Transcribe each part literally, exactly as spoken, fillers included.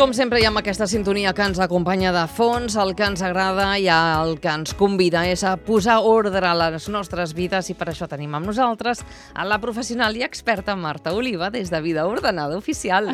com sempre, hi ha aquesta sintonia que ens acompanya de fons, el que ens agrada i el que ens convida és a posar ordre a les nostres vides, i per això tenim amb nosaltres a la professional i experta Marta Oliva des de Vida Ordenada Oficial.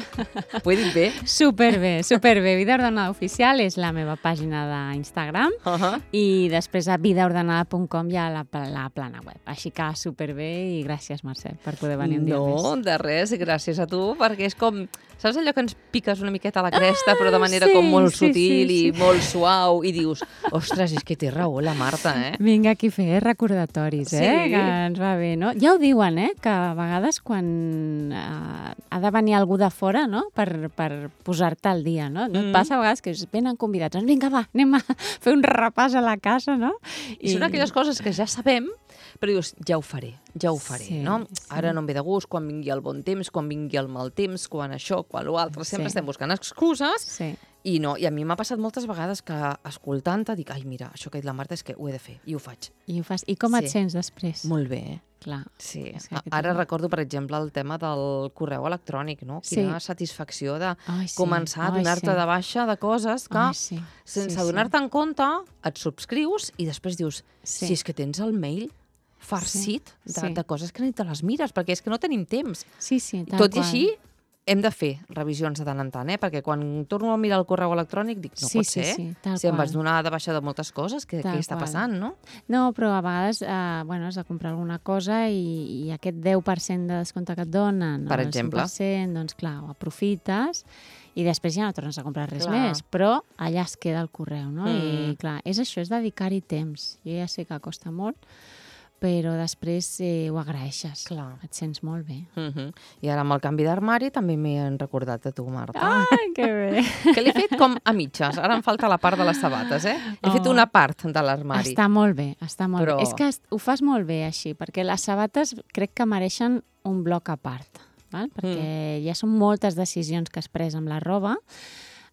Ho he dit bé? Superbé, superbé. Vida Ordenada Oficial és la meva pàgina d'Instagram uh -huh. i després a vida ordenada punt com hi ha la, la plana web. Així que superbé i gràcies, Mercè, per poder venir un dia no, més. No, de res, gràcies a tu, perquè és com... Saps allò que ens piques una miqueta a la cresta, ah, però de manera sí, com molt sí, sutil sí, sí. i molt suau, i dius, ostres, és que té raó la Marta, eh? Vinga aquí a fer recordatoris, eh? Sí. Que ens va bé, no? Ja ho diuen, eh? Que a vegades quan eh, ha de venir algú de fora, no? Per, per posar-te al dia, no? No et Mm. passa a vegades que venen convidats, doncs vinga, va, anem a fer un repàs a la casa, no? I, I són aquelles coses que ja sabem, però dius, ja ho faré, ja ho faré, sí, no? Sí. Ara no em ve de gust, quan vingui el bon temps, quan vingui el mal temps, quan això, quan l'altre, sempre Sí. estem buscant excuses, Sí. i no, i a mi m'ha passat moltes vegades que escoltant-te dic, ai, mira, això que ha dit la Marta és que ho he de fer, i ho faig. I, ho fas. I com Sí. et sents després? Molt bé. Clar. Sí, És que A- aquest ara és- recordo, per exemple, el tema del correu electrònic, no? Quina satisfacció de Ai, sí. començar a Ai, donar-te sí. de baixa de coses que, Ai, sí. sense Sí, sí. donar-te en compte, et subscrius i després dius, Sí. si és que tens el mail farcit de, Sí. de coses que ni te les mires, perquè és que no tenim temps. Sí, sí, tal Tot i qual. així, hem de fer revisions de tant en tant, eh? Perquè quan torno a mirar el correu electrònic dic, no Sí, pot sí, ser, sí, tal si em qual. vas donar de baixa de moltes coses, què, Tal què està qual. passant, no? No, però a vegades eh, bueno, has de comprar alguna cosa i, i aquest deu per cent de descompte que et donen, Per o el exemple. cinc per cent, doncs clar, ho aprofites i després ja no tornes a comprar res Clar. més, però allà es queda el correu, no? Mm. I clar, és això, és dedicar-hi temps. Jo ja sé que costa molt, però després eh, ho agraeixes. Clar. Et sents molt bé. Uh -huh. I ara amb el canvi d'armari també m'he recordat de tu, Marta. Ai, que bé! Que l'he fet com a mitges. Ara em falta la part de les sabates, eh? He Oh. fet una part de l'armari. Està molt bé, està molt Però- bé. És que es- ho fas molt bé així, perquè les sabates crec que mereixen un bloc a part, val? Perquè mm. ja són moltes decisions que has pres amb la roba.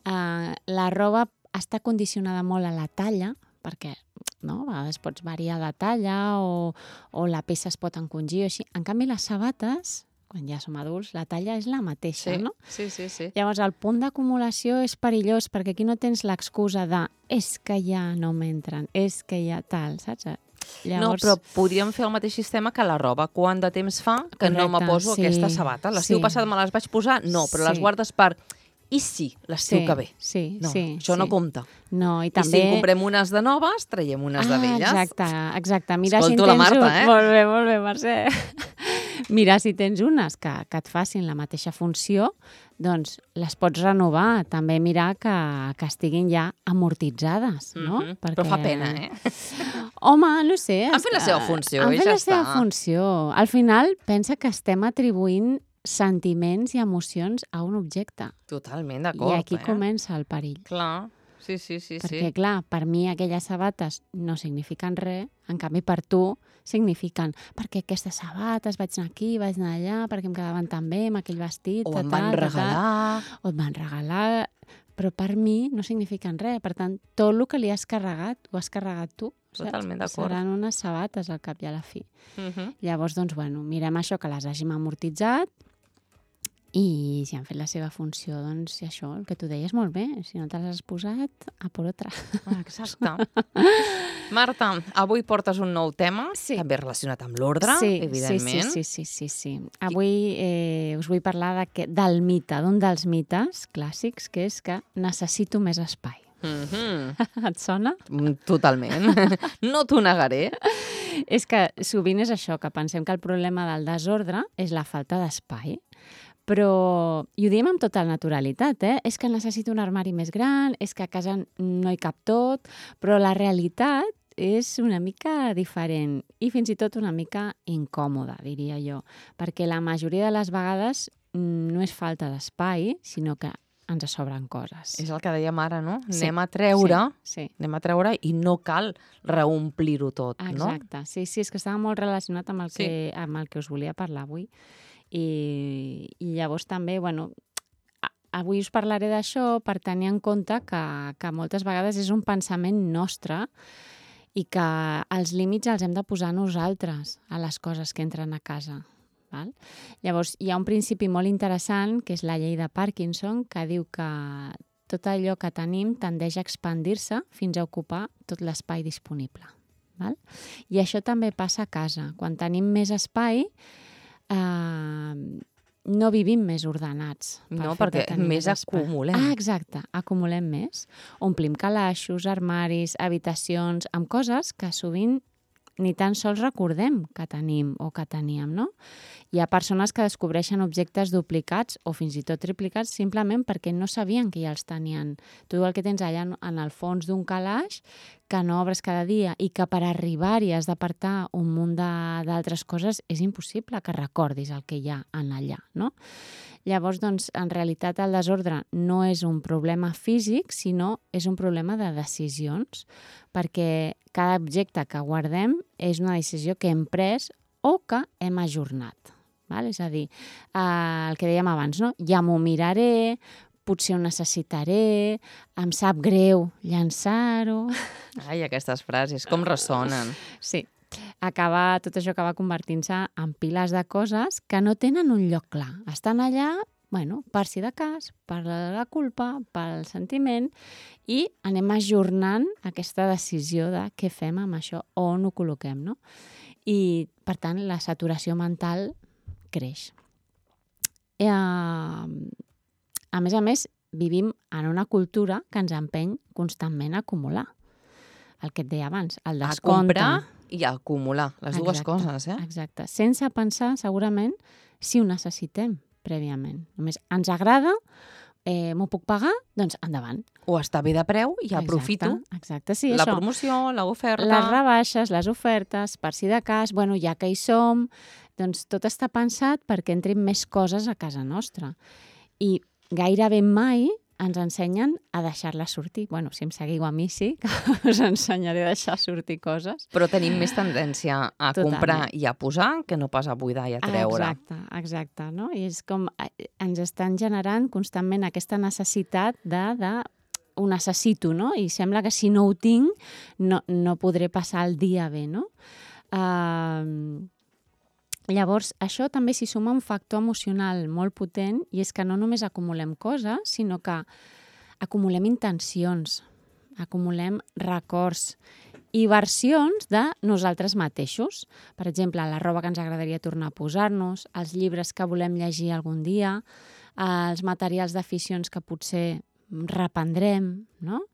Uh, la roba està condicionada molt a la talla, perquè no? A vegades pots variar de talla o, o la peça es pot encongir o així. En canvi, les sabates, quan ja som adults, la talla és la mateixa, Sí, no? sí, sí, sí. Llavors, el punt d'acumulació és perillós perquè aquí no tens l'excusa de és que ja no m'entren, és que ja tal, saps? Llavors... No, però podríem fer el mateix sistema que la roba. Quant de temps fa que no me Correcte, poso sí, aquesta sabata? L'estiu sí. passat me les vaig posar? No, però Sí. les guardes per... I sí, l'estiu Sí, que ve? sí, No, sí, això sí. no compta. No, i I també... si en comprem unes de noves, traiem unes de ah, velles. exacte, exacte. Mira Escolto si en la tens Marta, un... eh? Molt bé, molt bé, Mercè. Mira, si tens unes que, que et facin la mateixa funció, doncs les pots renovar. També mirar que, que estiguin ja amortitzades, no? Mhm. Però fa pena, eh? Home, no sé. Han fet la seva funció Han i fet ja la seva està. funció. Al final, pensa que estem atribuint sentiments i emocions a un objecte. Totalment d'acord, I aquí eh? comença el perill. Clar, sí, sí, sí. Perquè, sí. clar, per mi aquelles sabates no signifiquen res, en canvi per tu signifiquen perquè aquestes sabates vaig anar aquí, vaig anar allà, perquè em quedaven tan bé amb aquell vestit, O ta, em tal, van ta, tal. regalar... O et van regalar, però per mi no signifiquen res. Per tant, tot el que li has carregat, ho has carregat tu. Saps? Totalment d'acord. Seran unes sabates al cap i a la fi. Mhm. Llavors, doncs, bueno, mirem això, que les hàgim amortitzat, i si han fet la seva funció, doncs això, el que tu deies molt bé, si no te l'has posat, a por otra. Exacte. Marta, avui portes un nou tema, Sí. també relacionat amb l'ordre, sí, evidentment. Sí, sí, sí, sí, sí. Avui eh, us vull parlar de que, del mite, d'un dels mites clàssics, que és que necessito més espai. Mhm. Et sona? Mm, Totalment. No t'ho negaré. És que sovint és això, que pensem que el problema del desordre és la falta d'espai. Però, i ho diem amb tota naturalitat, eh? És que necessito un armari més gran, és que a casa no hi cap tot, però la realitat és una mica diferent i fins i tot una mica incòmoda, diria jo, perquè la majoria de les vegades mm, no és falta d'espai, sinó que ens sobren coses. És el que dèiem ara, no? Sí, Anem a treure, Sí, sí. anem a treure i no cal reomplir-ho tot, no? Exacte, sí, sí, és que estava molt relacionat amb el, Sí. que, amb el que us volia parlar avui. I, i llavors també, bueno, a- avui us parlaré d'això per tenir en compte que, que moltes vegades és un pensament nostre i que els límits els hem de posar nosaltres a les coses que entren a casa. Val? Llavors, hi ha un principi molt interessant, que és la llei de Parkinson, que diu que tot allò que tenim tendeix a expandir-se fins a ocupar tot l'espai disponible. Val? I això també passa a casa. Quan tenim més espai, eh, no vivim més ordenats. Per No, fet de perquè tenir més espai. acumulem. Ah, exacte, acumulem més. Omplim calaixos, armaris, habitacions, amb coses que sovint ni tan sols recordem que tenim o que teníem, no? Hi ha persones que descobreixen objectes duplicats o fins i tot triplicats simplement perquè no sabien que ja els tenien. Tu el que tens allà en el fons d'un calaix que no obres cada dia i que per arribar-hi has d'apartar un munt d'altres coses, és impossible que recordis el que hi ha en allà, no? Llavors, doncs, en realitat el desordre no és un problema físic, sinó és un problema de decisions, perquè cada objecte que guardem és una decisió que hem pres o que hem ajornat. Val? És a dir, eh, el que dèiem abans, no? Ja m'ho miraré, potser ho necessitaré, em sap greu llançar-ho... Ai, aquestes frases, com ressonen. Sí, acaba, tot això acaba convertint-se en piles de coses que no tenen un lloc clar. Estan allà, bueno, per si de cas, per la culpa, pel sentiment, i anem ajornant aquesta decisió de què fem amb això, on ho col·loquem, no? I, per tant, la saturació mental creix. Eh, a més a més, vivim en una cultura que ens empeny constantment a acumular. El que et deia abans, el descompte. A comprar i a acumular, les dues Exacte, coses, eh? Exacte, sense pensar segurament si ho necessitem prèviament. Només ens agrada, eh, m'ho puc pagar, doncs endavant. O està bé de preu i aprofito. Exacte, exacte, sí, la això. promoció, l'oferta... Les rebaixes, les ofertes, per si de cas, bueno, ja que hi som, doncs tot està pensat perquè entrin més coses a casa nostra. I gairebé mai ens ensenyen a deixar-la sortir. Bueno, si em seguiu a mi sí, que us ensenyaré a deixar sortir coses. Però tenim més tendència a Totalment. comprar i a posar que no pas a buidar i a treure. Exacte, exacte, no? I és com ens estan generant constantment aquesta necessitat de, de ho necessito, no? I sembla que si no ho tinc no, no podré passar el dia bé, no? Uh, Llavors, això també s'hi suma un factor emocional molt potent i és que no només acumulem coses, sinó que acumulem intencions, acumulem records i versions de nosaltres mateixos. Per exemple, la roba que ens agradaria tornar a posar-nos, els llibres que volem llegir algun dia, els materials d'aficions que potser reprendrem, no?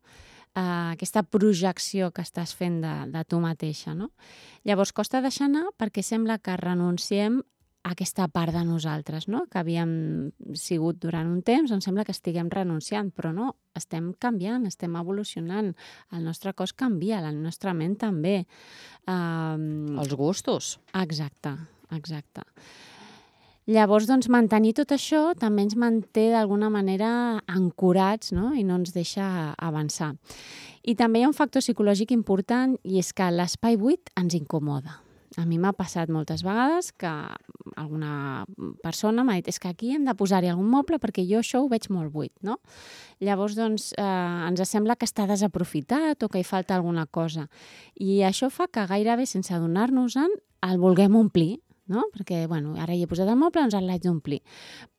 Uh, aquesta projecció que estàs fent de, de tu mateixa, no? Llavors, costa deixar anar perquè sembla que renunciem a aquesta part de nosaltres, no? Que havíem sigut durant un temps, doncs sembla que estiguem renunciant, però no, estem canviant, estem evolucionant, el nostre cos canvia, la nostra ment també. Uh, Els gustos. exacte, exacte. Llavors, doncs, mantenir tot això també ens manté d'alguna manera ancorats, no? I no ens deixa avançar. I també hi ha un factor psicològic important i és que l'espai buit ens incomoda. A mi m'ha passat moltes vegades que alguna persona m'ha dit és que aquí hem de posar-hi algun moble perquè jo això ho veig molt buit, no? Llavors, doncs, eh, ens sembla que està desaprofitat o que hi falta alguna cosa. I això fa que gairebé sense adonar-nos-en el vulguem omplir, no? Perquè, bueno, ara hi he posat el moble, doncs el l'haig d'omplir.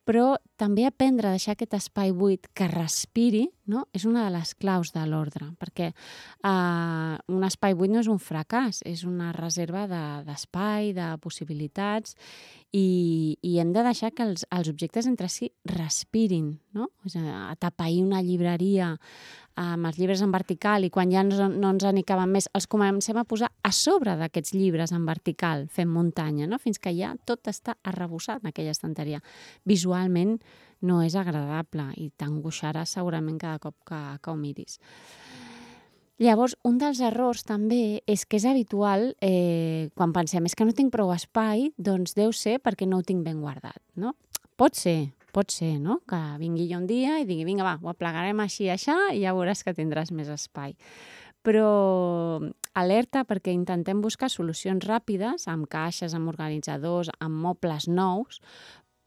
Però també aprendre a deixar aquest espai buit que respiri, no? És una de les claus de l'ordre, perquè eh, un espai buit no és un fracàs, és una reserva d'espai, de, de possibilitats, i, i hem de deixar que els, els objectes entre si respirin, no? És a, atapeir una llibreria amb els llibres en vertical i quan ja no, no ens n'hi caben més, els comencem a posar a sobre d'aquests llibres en vertical, fent muntanya, no? Fins que ja tot està arrebossat en aquella estanteria. Visualment no és agradable i t'angoixarà segurament cada cop que, que ho miris. Llavors, un dels errors també és que és habitual, eh, quan pensem és que no tinc prou espai, doncs deu ser perquè no ho tinc ben guardat, no? Pot ser, pot ser, no? Que vingui jo un dia i digui, vinga, va, ho aplegarem així i aixà i ja veuràs que tindràs més espai. Però alerta perquè intentem buscar solucions ràpides amb caixes, amb organitzadors, amb mobles nous,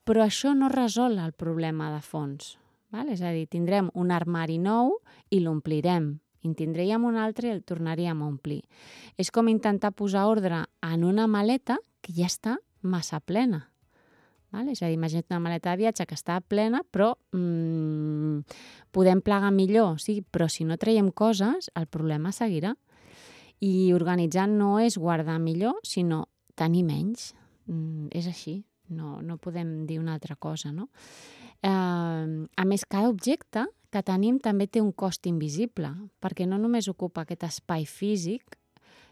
però això no resol el problema de fons. Val? És a dir, tindrem un armari nou i l'omplirem. En tindríem un altre i el tornaríem a omplir. És com intentar posar ordre en una maleta que ja està massa plena. Val? És a dir, imagina't una maleta de viatge que està plena, però mmm, podem plegar millor, sí, però si no traiem coses, el problema seguirà. I organitzar no és guardar millor, sinó tenir menys. Mm, és així, no, no podem dir una altra cosa, no? Eh, a més, cada objecte que tenim també té un cost invisible, perquè no només ocupa aquest espai físic,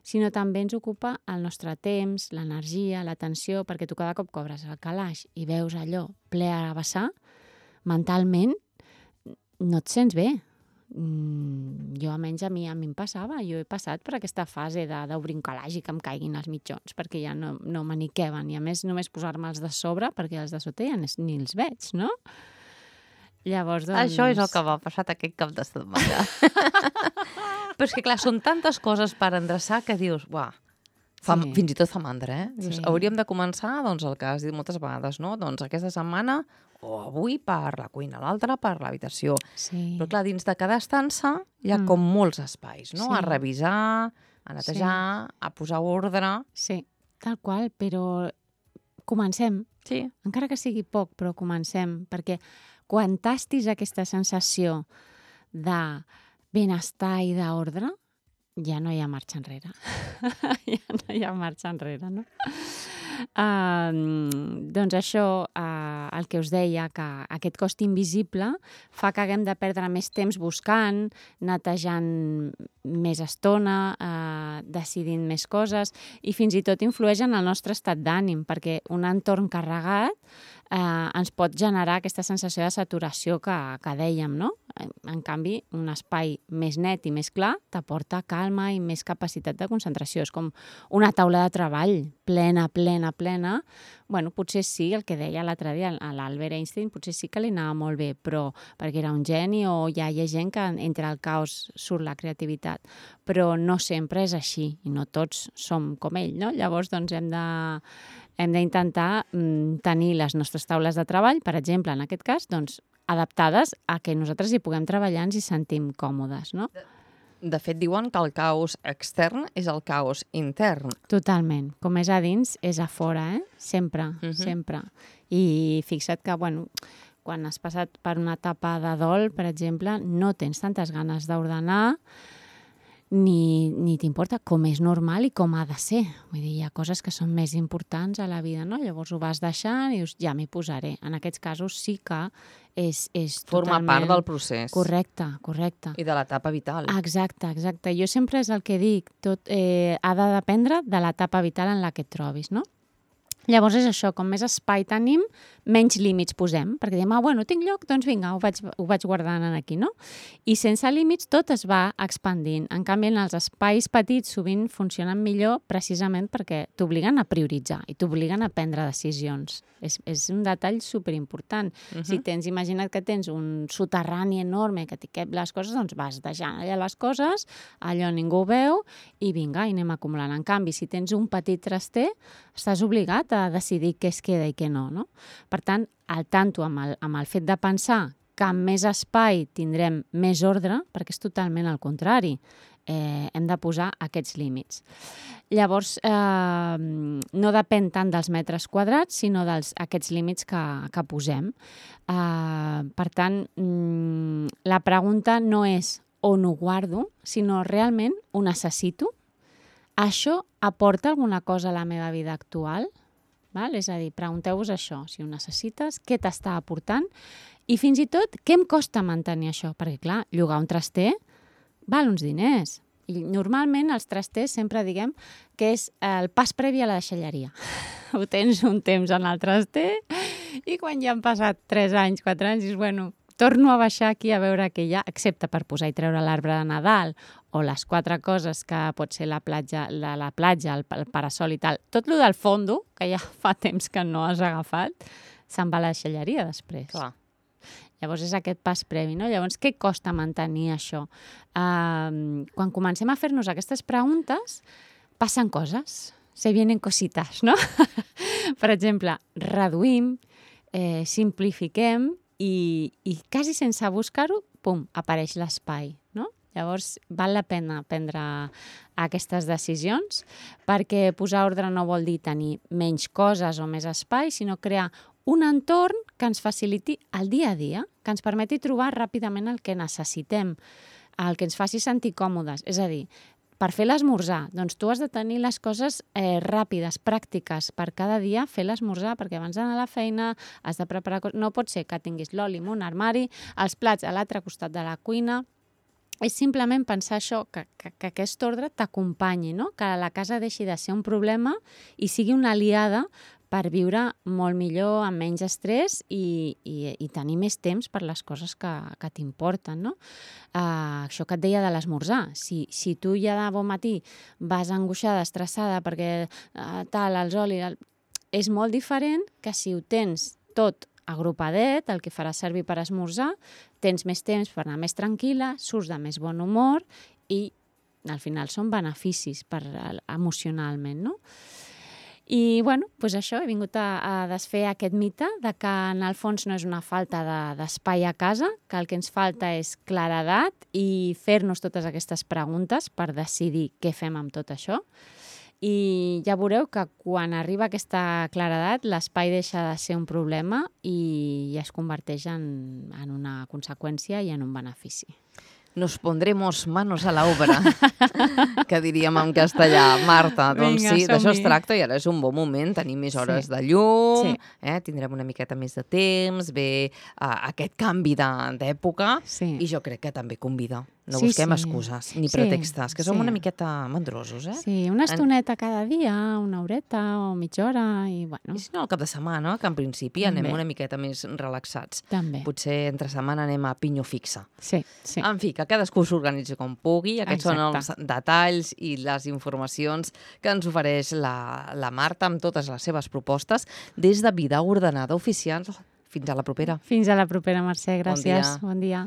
sinó també ens ocupa el nostre temps, l'energia, l'atenció, perquè tu cada cop cobres el calaix i veus allò ple a vessar, mentalment no et sents bé. Mm, jo, almenys a mi, a mi em passava, jo he passat per aquesta fase d'obrir un calaix i que em caiguin els mitjons, perquè ja no, no m'aniqueven, i a més només posar-me'ls de sobre, perquè els de sota ja ni els veig, no? Llavors, doncs... Això és el que m'ha passat aquest cap de setmana. Però és que, clar, són tantes coses per endreçar que dius, uah, fa, sí. fins i tot fa mandra, eh? Dius, sí. Hauríem de començar, doncs, el que has dit moltes vegades, no? Doncs aquesta setmana, o avui per la cuina, l'altra per l'habitació. Sí. Però, clar, dins de cada estança hi ha mm. com molts espais, no? Sí. A revisar, a netejar, sí. a posar ordre... Sí, tal qual, però comencem. Sí. Encara que sigui poc, però comencem, perquè quan tastis aquesta sensació de benestar i d'ordre, ja no hi ha marxa enrere. ja no hi ha marxa enrere, no? Uh, doncs això, uh, el que us deia, que aquest cost invisible fa que haguem de perdre més temps buscant, netejant més estona, uh, decidint més coses, i fins i tot influeix en el nostre estat d'ànim, perquè un entorn carregat eh, ens pot generar aquesta sensació de saturació que, que dèiem, no? En canvi, un espai més net i més clar t'aporta calma i més capacitat de concentració. És com una taula de treball plena, plena, plena. Bueno, potser sí, el que deia l'altre dia, l'Albert Einstein, potser sí que li anava molt bé, però perquè era un geni, o ja hi ha gent que entre el caos surt la creativitat. Però no sempre és així, i no tots som com ell, no? Llavors, doncs, hem de... hem d'intentar mm, tenir les nostres taules de treball, per exemple, en aquest cas, doncs, adaptades a que nosaltres hi puguem treballar, ens hi sentim còmodes, no? De, de fet, diuen que el caos extern és el caos intern. Totalment. Com és a dins, és a fora, eh? Sempre, uh-huh. sempre. I fixa't que, bueno, quan has passat per una etapa de dol, per exemple, no tens tantes ganes d'ordenar, ni, ni t'importa, com és normal i com ha de ser. Vull dir, hi ha coses que són més importants a la vida, no? Llavors ho vas deixant i dius, ja m'hi posaré. En aquests casos sí que és, és Forma totalment... part del procés. Correcte, correcte. I de l'etapa vital. Exacte, exacte. Jo sempre és el que dic, tot eh, ha de dependre de l'etapa vital en la que et trobis, no? Llavors és això, com més espai tenim, menys límits posem, perquè diem, ah, bueno, tinc lloc, doncs vinga, ho vaig, ho vaig guardant aquí, no? I sense límits tot es va expandint. En canvi, en els espais petits sovint funcionen millor precisament perquè t'obliguen a prioritzar i t'obliguen a prendre decisions. És, és un detall superimportant. Uh-huh. Si tens, imagina't que tens un soterrani enorme que t'hi cap les coses, doncs vas deixant allà les coses, allò ningú ho veu, i vinga, i anem acumulant. En canvi, si tens un petit traster, estàs obligat a decidir què es queda i què no, no? Per tant, al tanto amb el, amb el fet de pensar que amb més espai tindrem més ordre, perquè és totalment al contrari. Eh, hem de posar aquests límits. Llavors, eh, no depèn tant dels metres quadrats, sinó dels aquests límits que, que posem. Eh, per tant, mm, la pregunta no és on ho guardo, sinó realment ho necessito? Això aporta alguna cosa a la meva vida actual? Val? És a dir, pregunteu-vos això, si ho necessites, què t'està aportant i fins i tot què em costa mantenir això, perquè clar, llogar un traster val uns diners i normalment els trasters sempre diguem que és el pas previ a la deixalleria. Ho tens un temps en el traster i quan ja han passat tres anys, quatre anys, dius, bueno, torno a baixar aquí a veure què hi ha, excepte per posar i treure l'arbre de Nadal o les quatre coses que pot ser la platja, la, la platja, el, el parasol i tal. Tot lo del fondo, que ja fa temps que no has agafat, se'n va a la deixalleria després. Clar. Llavors és aquest pas previ, no? Llavors, què costa mantenir això? Uh, quan comencem a fer-nos aquestes preguntes, passen coses, se vienen cositas, no? Per exemple, reduïm, eh, simplifiquem, I, i quasi sense buscar-ho, pum, apareix l'espai, no? Llavors, val la pena prendre aquestes decisions perquè posar ordre no vol dir tenir menys coses o més espai, sinó crear un entorn que ens faciliti el dia a dia, que ens permeti trobar ràpidament el que necessitem, el que ens faci sentir còmodes. És a dir, per fer l'esmorzar, doncs tu has de tenir les coses eh, ràpides, pràctiques, per cada dia fer l'esmorzar, perquè abans d'anar a la feina has de preparar coses. No pot ser que tinguis l'oli en un armari, els plats a l'altre costat de la cuina. És simplement pensar això, que, que, que aquest ordre t'acompanyi, no? Que la casa deixi de ser un problema i sigui una aliada per viure molt millor, amb menys estrès i, i, i tenir més temps per les coses que, que t'importen, no? Uh, això que et deia de l'esmorzar. Si, si tu ja de bon matí vas angoixada, estressada, perquè uh, tal, els olis... El... És molt diferent que si ho tens tot agrupadet, el que faràs servir per esmorzar, tens més temps per anar més tranquil·la, surts de més bon humor i al final són beneficis per, emocionalment, no? I, bueno, doncs això, he vingut a, a desfer aquest mite de que en el fons no és una falta de, d'espai a casa, que el que ens falta és claredat i fer-nos totes aquestes preguntes per decidir què fem amb tot això. I ja veureu que quan arriba aquesta claredat l'espai deixa de ser un problema i es converteix en, en una conseqüència i en un benefici. Nos pondremos manos a la obra, que diríem en castellà. Marta, doncs Vinga, sí, d'això es som-hi. tracta i ara és un bon moment, tenim més hores sí. de llum, Sí. eh? Tindrem una miqueta més de temps, ve uh, aquest canvi de- d'època Sí. i jo crec que també convida. No Sí, busquem sí. excuses ni Sí, pretextes, que som sí. una miqueta mandrosos, eh? Sí, una estoneta cada dia, una horeta o mitja hora i, bueno, I si no, al cap de setmana, que en principi També. anem una miqueta més relaxats. també. Potser entre setmana anem a pinyo fixa. Sí, sí. En fi, que cadascú s'organitzi com pugui. Aquests són els Exacte. detalls i les informacions que ens ofereix la, la Marta amb totes les seves propostes des de Vida Ordenada Oficial. Fins a la propera. Fins a la propera, Mercè. Gràcies. dia. Bon dia.